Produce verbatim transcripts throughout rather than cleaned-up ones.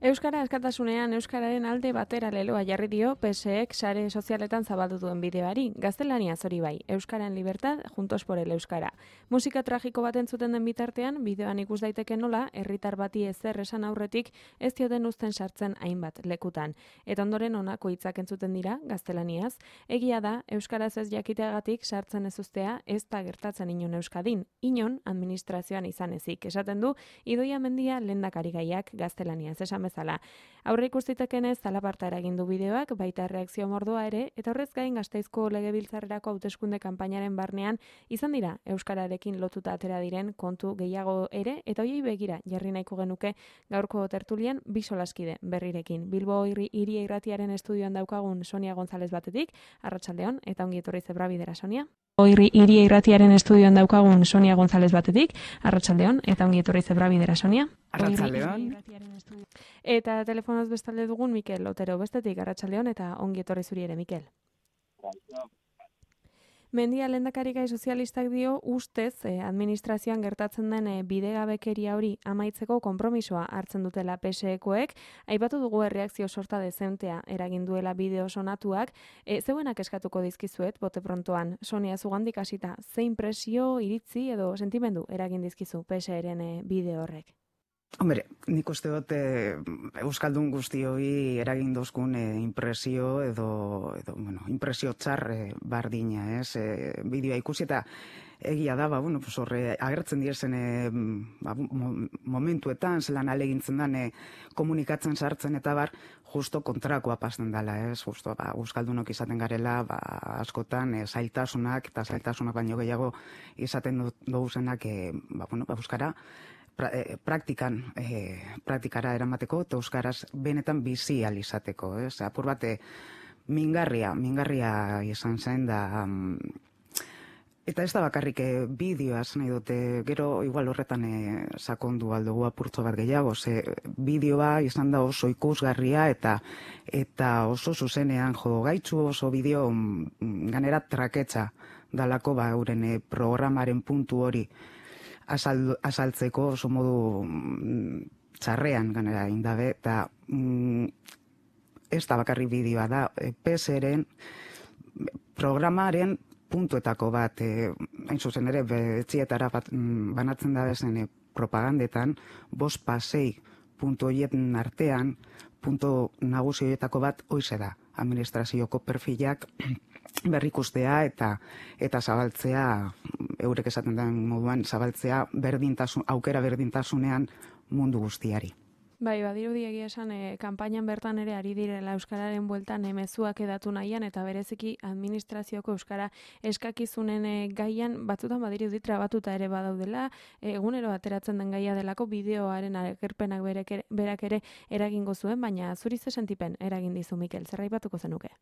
Euskara askatasunean euskararen alde batera leloa jarri dio P S Ek sare sozialetan zabaldu duen bideoari. Gaztelaniaz hori bai, Euskaran libertad, juntos por el euskara. Musika tragiko bat entzuten den bitartean, bideoan ikus daiteke nola, herritar bati ezer esan aurretik ez dioten uzten sartzen hainbat lekutan. Eta ondoren honako hitzak entzuten dira, gaztelaniaz, egia da, euskaraz ez jakiteagatik sartzen ez uztea ez da gertatzen inon Euskadin, inon administrazioan izan ezik. Esaten du, Idoia Mendia lehendakarigaiak gaztelaniaz esan bezala. Aurre ikustitekenez zalaparta eragin du bideoak, baita reakzio mordoa ere, eta horrez gain Gasteizko legebiltzarrerako hauteskunde kanpainaren barnean izan dira euskararekin lotuta atera diren kontu gehiago ere, eta hoiei begira jarri nahiko genuke gaurko tertulian bi solaskide berrirekin. Bilbo Hiria Irratiaren estudioan daukagun Sonia González batetik, arratsaldeon, eta ongi etorri Zebrabidera, Sonia. Hiria Irratiaren estudioan daukagun Sonia González batetik, arratsaldeon, eta ongi etorri Zebrabidera, Sonia. Arratsaldeon. Eta telefonoz bestalde dugun Mikel Otero bestetik, arratsaldeon, eta ongi etorri zuri ere, Mikel. Mendia lehendakarigai sozialistak dio ustez eh, administrazioan gertatzen den eh, bidegabekeria hori amaitzeko konpromisoa hartzen dutela P S Ekoek. Aipatu dugu erreakzio sorta dezentea eragin duela bideo sonatuak. E, zeuenak eskatuko dizkizuet, bote prontoan, Sonia zugandik hasita, zein presio, iritzi edo sentimendu eragin dizkizu P S Eren eh, bideo horrek? Hombre, nik uste dut eh, Euskaldun guztioi eragin dozkun eh, impresio edo, edo bueno, impresio txar eh, bardina, ez? Eh, bideoa ikusi eta egia da, ba, bueno, pues horre agertzen direzen eh, ba, momentuetan, zelan alegintzen den eh, komunikatzen sartzen eta bar, justo kontrakoa pasten dela, ez? Justo, ba, Euskaldunok izaten garela, ba, askotan eh, zailtasunak eta zailtasunak baino gehiago izaten duguzenak, eh, ba, bueno, ba, Euskara, Pra, eh, praktikan, eh, praktikara eramateko eta euskaraz benetan bizi ahal izateko, ez? Apur bat, eh, mingarria, mingarria izan zen da, um, eta ez da bakarrik eh, bideoaz nahi dute, gero igual horretan eh, sakondu aldugu apurtzo bat gehiago, ze bideoa izan da oso ikusgarria eta eta oso zuzenean jo gaitzu oso bideo mm, ganera traketza dalako ba euren eh, programaren puntu hori Azal, azaltzeko oso modu mm, txarrean ganera indabe, eta mm, ez da bakarri bideoa da, e, P S Eren programaren puntuetako bat, e, hain zuzen ere, betxietara bat, mm, banatzen da bezen e, propagandetan, bost pasei puntu horietan artean, puntu nagusi horietako bat hoize da, administrazioko perfilak berrikustea eta eta zabaltzea, eurek esaten den moduan, zabaltzea berdintasun, aukera berdintasunean mundu guztiari. Bai, badirudi egia esan, e, kanpainan bertan ere ari direla euskararen bueltan e, mezuak edatu nahian eta bereziki administrazioko euskara eskakizunen e, gaian batzutan badirudi trabatuta ere badaudela, e, egunero ateratzen den gaia delako bideoaren agerpenak berek, berak ere eragingo zuen, baina zuri ze sentipen eragin dizu, Mikel, zer aipatuko zenuke?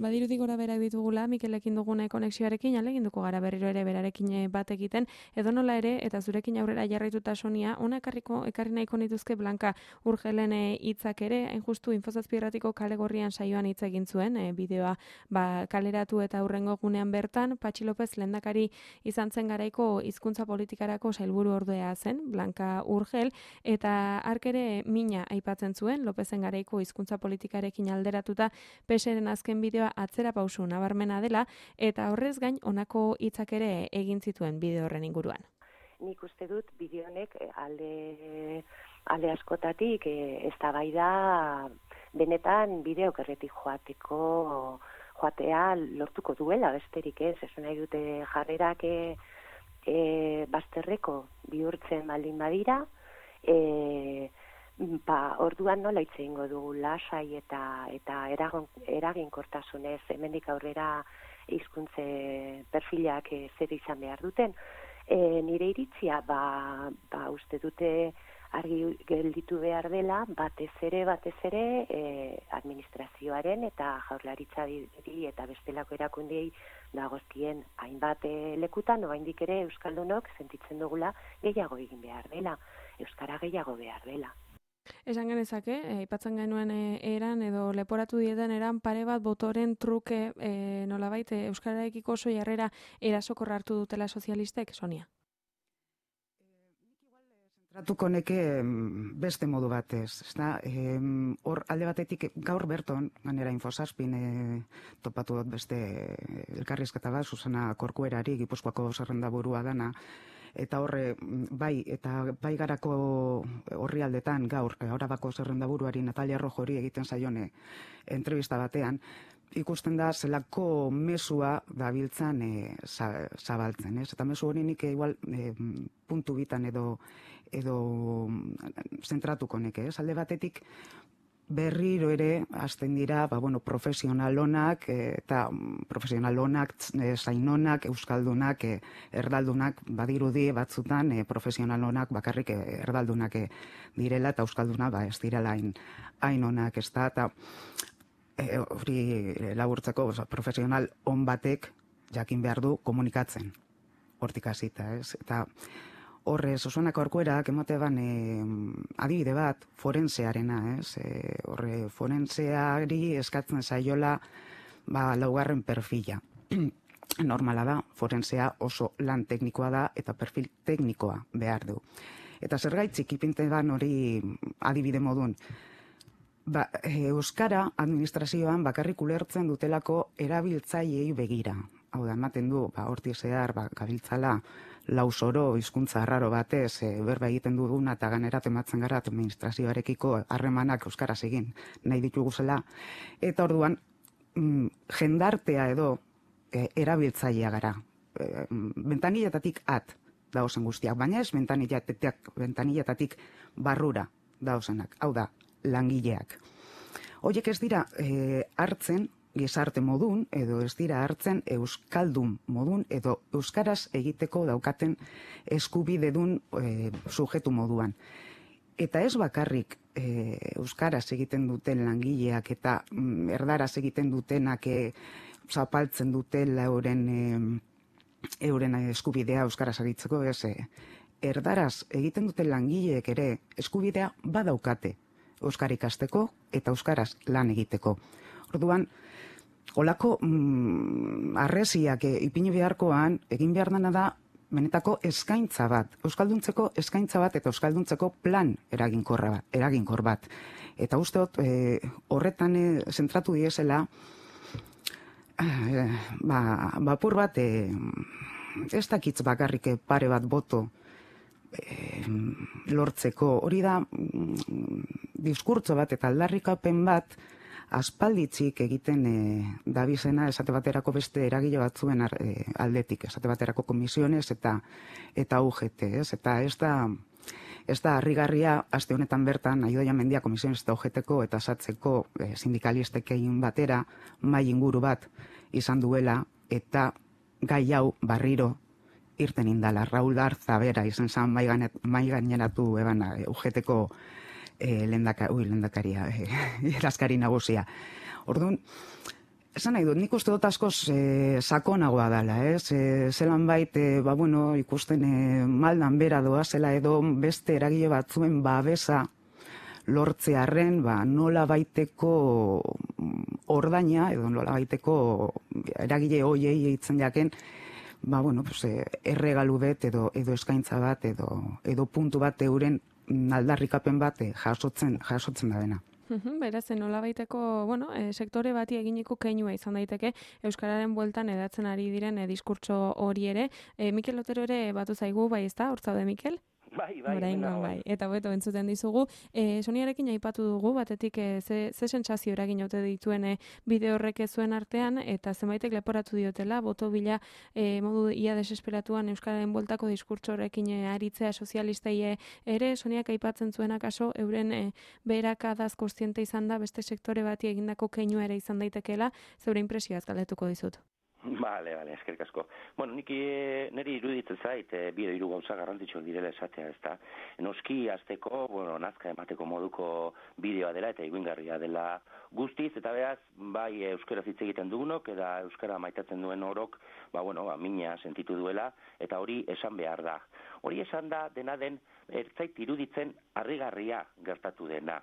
Badirudi gora berak ditugula, Mikelekin dugune konexioarekin, aleginduko gara berriro ere berarekin bat egiten, edo nola ere, eta zurekin aurrera jarraituta Sonia, ona ekarriko, ekarri nahiko nituzke Blanka Urgelen hitzak ere, hain justu Infozazpirratiko kale gorrian saioan hitz egin zuen, e, bideoa ba, kaleratu eta hurrengo gunean bertan, Patxi López lehendakari izan zen garaiko hizkuntza politikarako sailburu ordea zen, Blanka Urgel, eta hark ere mina aipatzen zuen, Lópezen garaiko hizkuntza politikarekin alderatuta, P S Eren azken bideoa atzera pausu nabarmena dela, eta horrez gain honako hitzak ere egin zituen bideo horren inguruan. Nik uste dut bideo honek alde, alde askotatik eztabaida benetan bideok erretik joateko joatea lortuko duela besterik ez, esan nahi dute jarrerak e, e, bazterreko bihurtzen baldin badira, e, Ba, orduan nola hitz egingo dugu lasai eta eta eragon, eraginkortasunez hemendik aurrera hizkuntze perfilak e, zer izan behar duten. E, nire iritzia, ba, ba uste dute argi gelditu behar dela, batez ere, batez ere, e, administrazioaren eta jaurlaritzari eta bestelako erakundei dagozkien hainbat e, lekutan, oraindik ere euskaldunok sentitzen dugula gehiago egin behar dela, euskara gehiago behar dela. Esan genezake, aipatzen genuen e, eran edo leporatu dietan eran pare bat botoren truke e, nolabait e, euskararekiko oso jarrera erasokorra hartu dutela sozialistek, Sonia? Tratuko neke beste modu batez, ezta? Hor alde batetik gaur berton, ganera Infosazpin e, topatu dut beste elkarrizketa bat, Susana Korkuerari, Gipuzkoako zerrendaburua dana, eta horre, bai, eta bai garako horri aldetan gaur, Arabako zerrendaburuari Natalia Rojori egiten zaione entrevista batean, ikusten da zelako mesua dabiltzan e, zabaltzen, ez? Eta mesu hori nik igual e, puntu bitan edo edo zentratuko neke, ez? Alde batetik berriro ere hasten dira, ba, bueno, profesionalonak eta profesionalonak, zainonak, euskaldunak, erdaldunak, badirudi batzutan e, profesionalonak bakarrik erdaldunak direla eta euskalduna ba ez direla hain hain onak, ez da, eta hori e, laburtzeko oza, profesional on batek jakin behar du komunikatzen hortik hasita, ez? Eta horre, Susana Korkuerak emate ban e, adibide bat forensearena, ez? E, horre, forenseari eskatzen zaiola ba, laugarren perfila. Normala da, forensea oso lan teknikoa da eta perfil teknikoa behar du. Eta zergaitzik ipinte ban hori adibide modun, ba, euskara administrazioan bakarrik ulertzen dutelako erabiltzaileei begira. Hau da, ematen du, ba, hortik zehar, ba, gabiltzala, lausoro, hizkuntza arraro batez, e, berba egiten duguna eta ganerat ematzen gara administrazioarekiko harremanak euskaraz egin nahi dituguzela. Eta orduan, mm, jendartea edo e, erabiltzailea gara. E, bentanilletatik at dauzen guztiak, baina ez bentanilletatik, bentanilletatik barrura dauzenak. Hau da, langileak. Horiek ez dira e, hartzen gizarte modun, edo ez dira hartzen euskaldun modun, edo euskaraz egiteko daukaten eskubidedun e, sujetu moduan. Eta ez bakarrik e, euskaraz egiten duten langileak eta mm, erdaraz egiten dutenak e, zapaltzen dutela euren, e, euren eskubidea euskaraz egitzeko, ez, e, erdaraz egiten duten langileek ere eskubidea badaukate euskara ikasteko eta euskaraz lan egiteko. Orduan, olako mm, arresiak e, ipini beharkoan, egin behar dena da, benetako eskaintza bat, euskalduntzeko eskaintza bat eta euskalduntzeko plan eraginkorra bat, eraginkor bat. Eta usteot, e, horretan e, zentratu diesela, e, ba, bapur bat, e, ez dakitz bakarrik pare bat boto e, lortzeko. Hori da, mm, diskurtso bat eta aldarrikapen bat, aspalditzik egiten e, dabizena esate baterako beste eragile batzuen ar, e, aldetik, esate baterako komisiones eta eta U G T, ez? Eta ez da, ez da harrigarria aste honetan bertan Aidoia Mendia komisiones eta U G T-ko eta satzeko e, sindikalistekein batera mai inguru bat izan duela eta gai hau barriro irten indala. Raul Darza bera izan zan mai, mai gaineratu ebana U G T-ko E, lendaka, ui, lendakaria, e, erazkari nagusia. Orduan, esan nahi dut, nik uste dut askoz e, sakonagoa dela, ez? E, zelan bait, e, ba, bueno, ikusten e, maldan bera doa zela edo beste eragile batzuen babesa lortzearren, ba, nola baiteko ordaina, edo nola baiteko eragile hoiei eitzen jaken, ba, bueno, pues, e, erregalu bet edo, edo eskaintza bat edo, edo puntu bat euren aldarrikapen bat jasotzen jasotzen da dena. Beraz, nolabaiteko, bueno, e, sektore bati eginiko keinua izan daiteke euskararen bueltan edatzen ari diren e, diskurtso hori ere. E, Mikel Otero ere batu zaigu, bai, ezta? Hortzaude, Mikel? Bai, bai, Oraingoan, bai. Eta beto entzuten dizugu. E, Soniarekin aipatu dugu, batetik e, ze, ze sentsazio eragin ote dituen e, bide horrek zuen artean, eta zenbaitek leporatu diotela, boto bila e, modu ia desesperatuan euskararen bueltako diskurtso horrekin e, aritzea sozialistei ere, Soniak aipatzen zuen akaso, euren e, beherakadaz kontziente izan da, beste sektore bati egindako keinua ere izan daitekeela, zeure impresioaz galdetuko dizut. Bale, bale, eskerrik asko. Bueno, nik niri iruditzen zait, e, bide hiru gauza garrantzitsuak direla esatea, ezta. Noski hasteko, bueno, nazka emateko moduko bideoa dela eta iguingarria dela guztiz, eta beraz, bai euskaraz hitz egiten dugunok, eta euskara maitatzen duen orok, ba, bueno, ba, mina sentitu duela, eta hori esan behar da. Hori esan da, dena den, ertzait iruditzen harrigarria gertatu dena.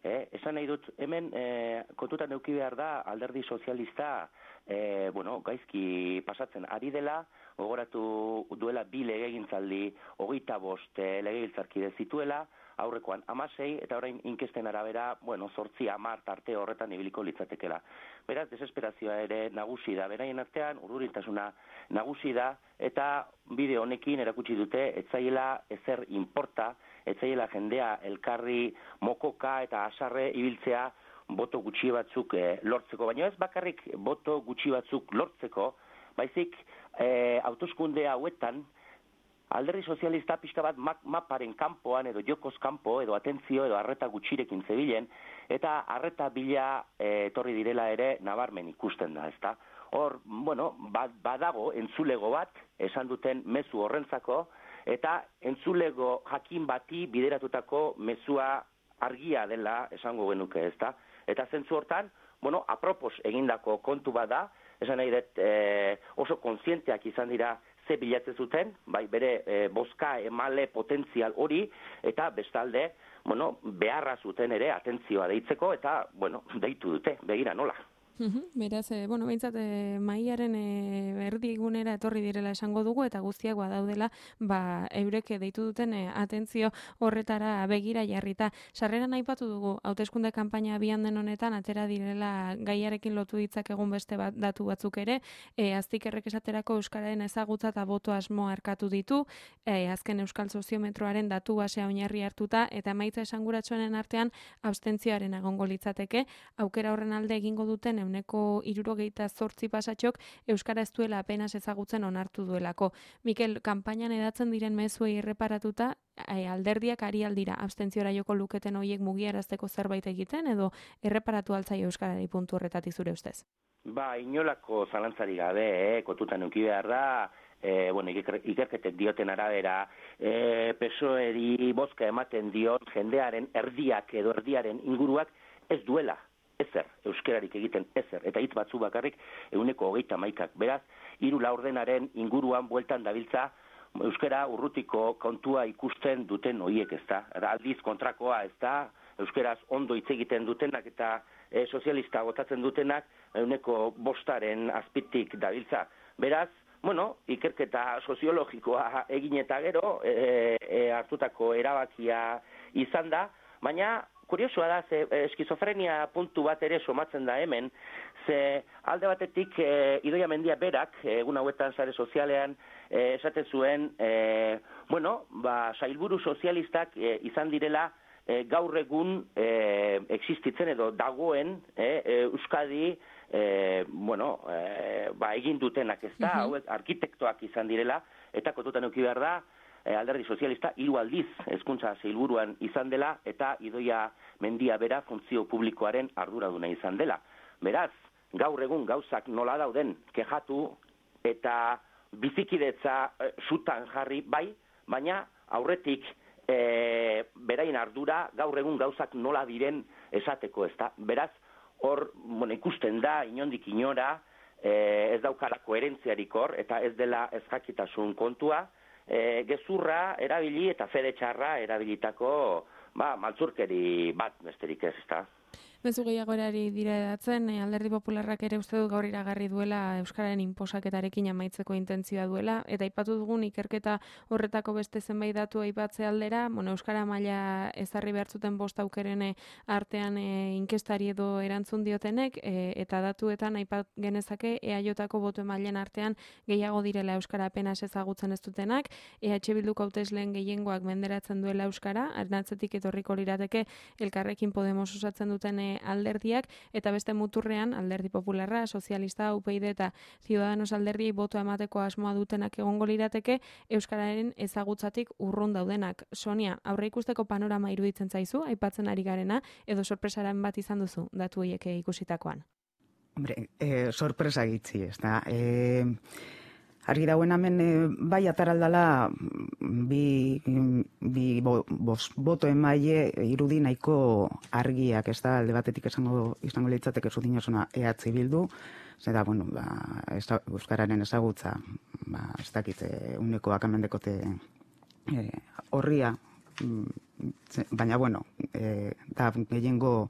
Eh, esan nahi dut, hemen eh, kontutan eduki behar da alderdi sozialista eh, bueno, gaizki pasatzen ari dela, gogoratu duela bi legegintzaldi hogeita bost eh, legegintzarkide zituela, aurrekoan hamasei, eta orain inkesten arabera, bueno, zortzi hamar tarte horretan ibiliko litzatekela. Beraz, desesperazioa ere nagusi da, beraien artean, urdurintasuna nagusi da, eta bideo honekin erakutsi dute, etzaiela ezer inporta, etzaiela jendea elkarri mokoka eta asarre ibiltzea boto gutxi batzuk eh, lortzeko, baina ez bakarrik boto gutxi batzuk lortzeko, baizik eh, hauteskunde hauetan, alderdi sozialista pixka bat maparen kanpoan edo jokoz kanpo edo atentzio edo arreta gutxirekin zebilen eta arreta bila e, etorri direla ere nabarmen ikusten da, ezta? Hor, bueno, badago entzulego bat esan duten mezu horrentzako eta entzulego jakin bati bideratutako mezua argia dela esango genuke, ezta? Eta zentzu hortan, bueno, apropos egindako kontu bada, esan nahi dut e, oso kontzienteak izan dira ze bilatzen zuten, bai bere e, bozka emale potentzial hori, eta bestalde, bueno, beharra zuten ere atentzioa deitzeko, eta, bueno, deitu dute, begira nola. Beraz, e, bueno, behintzat, e, maiaren e, erdigunera etorri direla esango dugu, eta guztiak badaudela, ba, eurek deitu duten e, atentzio horretara begira jarrita. Sarreran aipatu dugu, hauteskunde kanpaina abian den honetan, atera direla gaiarekin lotu ditzak egun beste bat, datu batzuk ere, e, aztikerrek esaterako euskararen ezagutza eta boto asmo arkatu ditu, e, azken euskal soziometroaren datu basea oinarri hartuta, eta emaitza esanguratsuenen artean abstentzioaren egongo litzateke, aukera horren alde egingo duten euneko hirurogeita zortzi pasatxok euskara ez duela apenas ezagutzen onartu duelako. Mikel, kanpainan edatzen diren mezuei erreparatuta, e, alderdiak ari aldira abstentziora joko luketen horiek mugiarazteko zerbait egiten, edo erreparatu altzaio euskarari puntu horretatik zure ustez? Ba, inolako zalantzari gabe, eh, kotutan euki behar da, E, bueno, ikerketek dioten arabera, e, P S O E-ri bozka ematen dion jendearen erdiak edo erdiaren inguruak ez duela, ezer, euskerarik egiten ezer, eta hitz batzu bakarrik euneko hogeita maikak. Beraz, hiru laurdenaren inguruan bueltan dabiltza, euskera urrutiko kontua ikusten duten hoiek, ez da. Aldiz kontrakoa, ez da, euskeraz ondo hitz egiten dutenak eta e, sozialista botatzen dutenak euneko bostaren azpitik dabiltza. Beraz, bueno, ikerketa soziologikoa egin eta gero e, e, hartutako erabakia izan da, baina kuriosoa da, ze eskizofrenia puntu bat ere somatzen da hemen, ze alde batetik e, Idoia Mendia berak, egun hauetan sare sozialean, e, esaten zuen, e, bueno, ba, sailburu sozialistak e, izan direla e, gaur egun e, existitzen edo dagoen e, e, Euskadi, E, bueno, e, ba, egin dutenak ez da, uh-huh. hauek arkitektoak izan direla, eta kotutan euki behar da, e, alderdi sozialista hiru aldiz hezkuntza sailburuan izan dela, eta Idoia Mendia bera funtzio publikoaren arduraduna izan dela. Beraz, gaur egun gauzak nola dauden kejatu eta bizikidetza e, sutan jarri bai, baina aurretik e, berain ardura gaur egun gauzak nola diren esateko ez da. Beraz, hor, bueno, ikusten da, inondik inora, eh, ez daukala koherentziarik hor, eta ez dela ez jakitasun kontua, eh, gezurra erabili eta fede txarra erabilitako, ba, maltzurkeri bat besterik ez, ezta. Mezu gehiago erari dira edatzen, e, alderdi popularrak ere uste dut gaur iragarri duela euskararen inposaketarekin amaitzeko intentzioa duela, eta aipatu dugun ikerketa horretako beste zenbait datu aipatze aldera, bueno, euskara maila ezarri behartzuten bost aukerene artean e, inkestari edo erantzun diotenek, e, eta datuetan aipat genezake E A Jko boto emailen artean gehiago direla euskara apenas ezagutzen ez dutenak, E H Bilduko hautesleen gehiengoak menderatzen duela euskara, arnatzetik etorriko lirateke Elkarrekin Podemos osatzen duten e, alderdiak, eta beste muturrean alderdi popularra, sozialista, U P y D eta Ciudadanos alderdiei botoa emateko asmoa dutenak egongo lirateke euskararen ezagutzatik urrun daudenak. Sonia, aurre ikusteko panorama iruditzen zaizu, aipatzen ari garena, edo sorpresaren bat izan duzu datu horiek ikusitakoan? Hombre, e, sorpresa gitzi, ez da. E, argi dauen hemen e, bai ataraldala bi, bi bo, bos, boto emaile irudi nahiko argiak, ez da, alde batetik esango, izango litzateke zudinozuna E H Bildu, zera, bueno, ba, ez da, euskararen ezagutza, ba, ez dakit, e, uneko akamendekote e, horria, baina, bueno, e, da, gehiengo,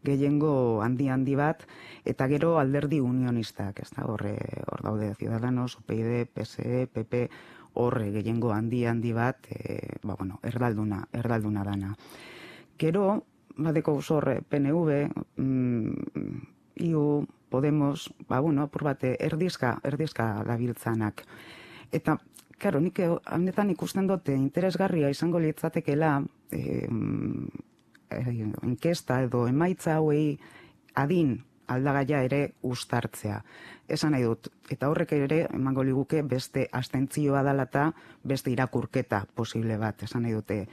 gehiengo handi handi bat, eta gero alderdi unionistak, ez da, horre, hor daude Ciudadanos, U P y D, P S E, P P, horre gehiengo handi handi bat, e, ba, bueno, erdalduna, erdalduna dana. Gero, badeko zorre, P N V, mm, I U, Podemos, ba, bueno, apur bate, erdizka, erdizka dabiltzanak. Eta, karo, nik honetan ikusten dute interesgarria izango litzatekela, eh, inkesta edo emaitza hauei adin aldagaia ere uztartzea. Esan nahi dut, eta horrek ere emango liguke beste abstentzioa dalata, beste irakurketa posible bat. Esan nahi dute,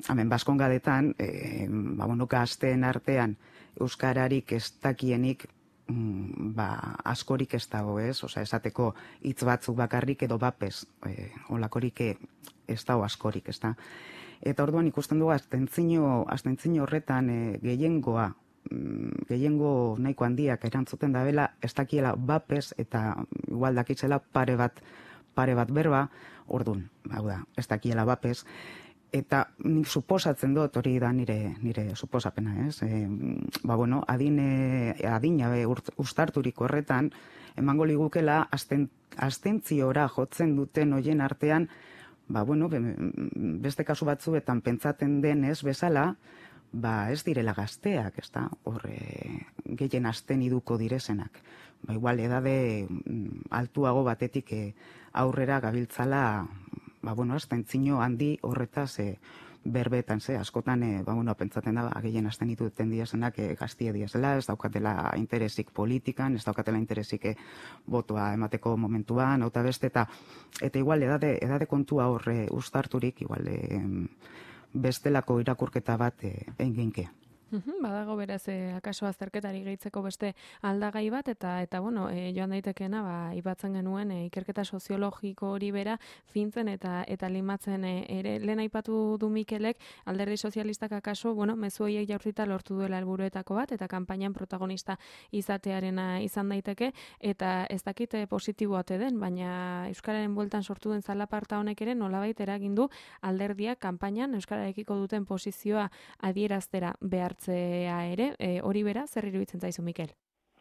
hemen Baskongadetan, e, ba, bueno, gazteen artean euskararik ez dakienik mm, ba, askorik ez dago, ez? Osea, esateko hitz batzuk bakarrik edo bapez, e, olakorik ez dago askorik, ez da? Eta orduan ikusten dugu abstentzio, abstentzio horretan e, gehiengoa, mm, gehiengo nahiko handiak erantzuten dabela, ez dakiela bapez eta igual dakitzela pare bat, pare bat berba, orduan, hau da, ez dakiela bapez, eta nik suposatzen dut, hori da nire, nire suposapena, ez? E, ba, bueno, adine, adina be uztarturik horretan, emango ligukela azten, abstentziora jotzen duten hoien artean, ba, bueno, beste kasu batzuetan pentsaten denez bezala, ba, ez direla gazteak, ez da, horre, gehien azten iduko direzenak. Ba, igual, edade altuago batetik eh, aurrera gabiltzala, ba, bueno, abstentzio handi horretaz e, berbetan, ze, askotan, e, ba, bueno, pentsaten da, ba, gehien azten dituten diazenak e, gaztie diazela, ez daukatela interesik politikan, ez daukatela interesik e, botoa emateko momentuan, hau eta beste, eta, eta igual, edade, edade kontua horre uztarturik, igual, e, bestelako irakurketa bat e, enginke. Uhum, badago beraz, eh, akaso azterketari gehitzeko beste aldagai bat, eta eta bueno, eh, joan daitekeena, ba, ipatzen genuen eh, ikerketa soziologiko hori bera fintzen eta eta limatzen eh, ere, lehen aipatu du Mikelek, alderdi sozialistak akaso, bueno, mezu horiek jaurtita lortu duela helburuetako bat, eta kanpainan protagonista izatearena izan daiteke, eta ez dakite positiboa ote den, baina Euskararen bueltan sortu den zalaparta honek ere nolabait eragin du alderdiak kanpainan Euskararekiko duten posizioa adieraztera behar ere, e, hori bera, zer iruditzen zaizu, Mikel?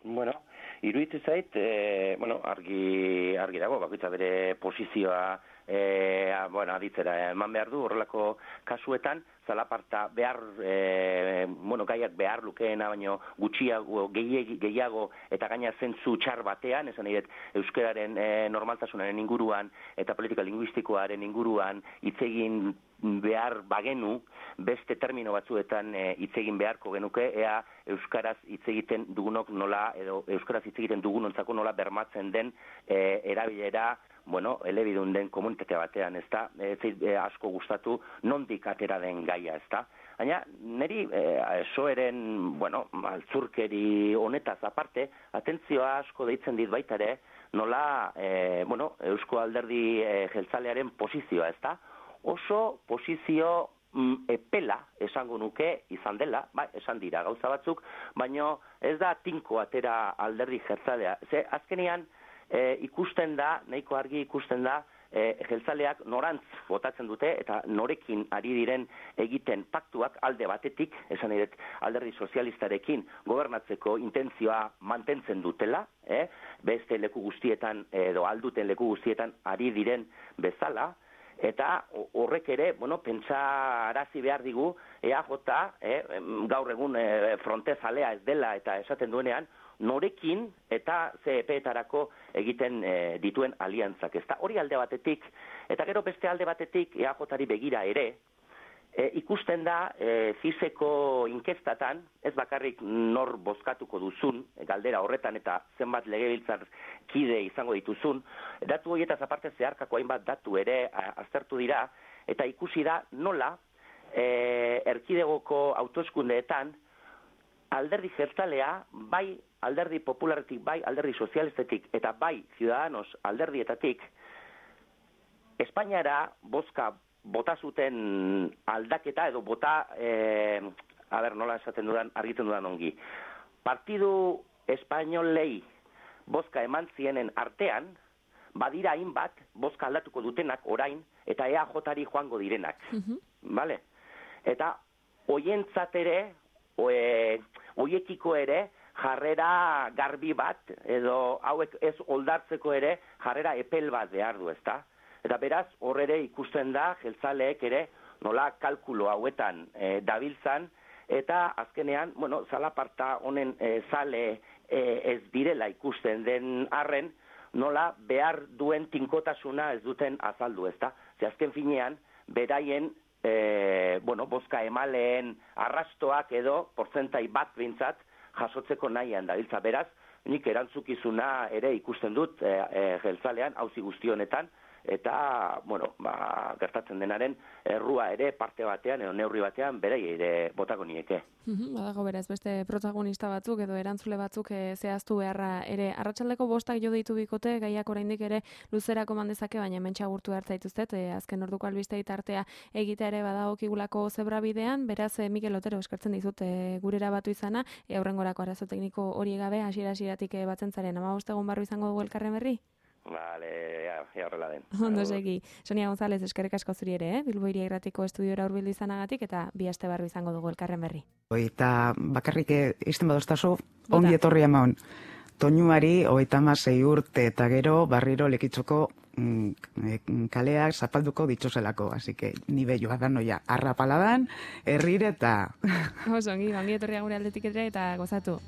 Bueno, iruditzen zait, e, bueno, argi, argi dago, bakoitza bere posizioa e, bueno, aditzera eman behar du, horrelako kasuetan, zalaparta behar, e, bueno, gaiak behar lukeena, baino gutxiago, gehiago, eta gaina zentzu txar batean, esan nahi dut, euskararen e, normaltasunaren inguruan, eta politika linguistikoaren inguruan, hitz egin behar bagenu, beste termino batzuetan hitz egin beharko genuke, ea euskaraz hitz egiten dugunok nola, edo euskaraz hitz egiten dugunontzako nola bermatzen den e, erabilera, bueno, elebidun den komunitate batean, ez da, ez e, asko gustatu nondik atera den gaia, ez da. Baina, niri, e, soeren, bueno, altzurkeri honetaz aparte, atentzioa asko deitzen dit baita ere, nola, e, bueno, Eusko Alderdi e, jeltzalearen posizioa, ez da, oso posizio mm, epela esango nuke izan dela, ba, esan dira gauza batzuk, baina ez da tinko atera alderdi jeltzalea. Ze azkenean e, ikusten da, nahiko argi ikusten da, e, jeltzaleak norantz botatzen dute eta norekin ari diren egiten paktuak alde batetik, esan edet alderdi sozialistarekin gobernatzeko intentzioa mantentzen dutela, eh? Beste leku guztietan edo alduten leku guztietan ari diren bezala, eta horrek ere, bueno, pentsarazi behar digu, E A J, eh, gaur egun eh, frontezalea ez dela eta esaten duenean, norekin eta ze epeetarako egiten eh, dituen aliantzak. Ezta hori alde batetik, eta gero beste alde batetik E A Jari begira ere, E, ikusten da, e, fizeko inkestatan, ez bakarrik nor bozkatuko duzun, galdera horretan eta zenbat legebiltzar kide izango dituzun, datu horietaz aparte zeharkako hainbat datu ere aztertu dira, eta ikusi da nola e, erkidegoko autoeskundeetan alderdi jeltzalea, bai alderdi popularetik, bai alderdi sozialistetik, eta bai Ciudadanos alderdietatik, Espainiara bozka bota zuten aldaketa edo bota, eh, a ber, nola esaten dudan, argiten dudan ongi. Partidu espainolei bozka eman zienen artean, badira hainbat bozka aldatuko dutenak orain, eta E A Jari joango direnak. Uh-huh. Vale? Eta hoientzat ere, oe, oiekiko ere, jarrera garbi bat, edo hauek ez oldartzeko ere, jarrera epel bat behar du, ezta? Eta beraz, hor ere ikusten da, jeltzaleek ere, nola kalkulo hauetan e, dabiltzan, eta azkenean, bueno, zalaparta honen e, zale e, ez direla ikusten den arren, nola behar duen tinkotasuna ez duten azaldu, ezta? Ze azken finean, beraien, e, bueno, bozka emaleen arrastoak edo, porzentai bat bintzat, jasotzeko nahian dabiltza. Beraz, nik erantzukizuna ere ikusten dut e, e, jeltzalean, auzi guzti honetan, eta, bueno, ba, gertatzen denaren errua ere parte batean edo neurri batean berei ere botako nieke. Mm-hmm, badago beraz beste protagonista batzuk edo erantzule batzuk e, zehaztu beharra ere. Arratsaldeko bostak jo deitu bikote, gaiak oraindik ere luzerako mandezake, baina hementxe agurtu hartza dituztet, e, azken orduko albistei tartea egitea ere badagokigulako zebra bidean, beraz e, Mikel Otero eskertzen dizut e, gurera batu izana, e, aurrengorako arazo tekniko hori gabe hasiera-hasieratik e, batzen zaren, hamabost egun barru izango dugu elkarren berri? Vale, ja, ja horrela den. Ondo segi. Sonia González, eskerrik asko zuri ere, eh? Bilbo Hiria Irratiko estudiora hurbildu izanagatik eta bi aste barru izango dugu elkarren berri. Eta bakarrik izten badostazu, ongi etorri emaon. Toñuari hogeita hamasei urte eta gero barriro Lekitzoko mm, kaleak zapalduko ditzozelako, así que ni bello da noia arrapaladan, herrire eta Oso ongi, ongi etorria gure aldetik ere eta gozatu.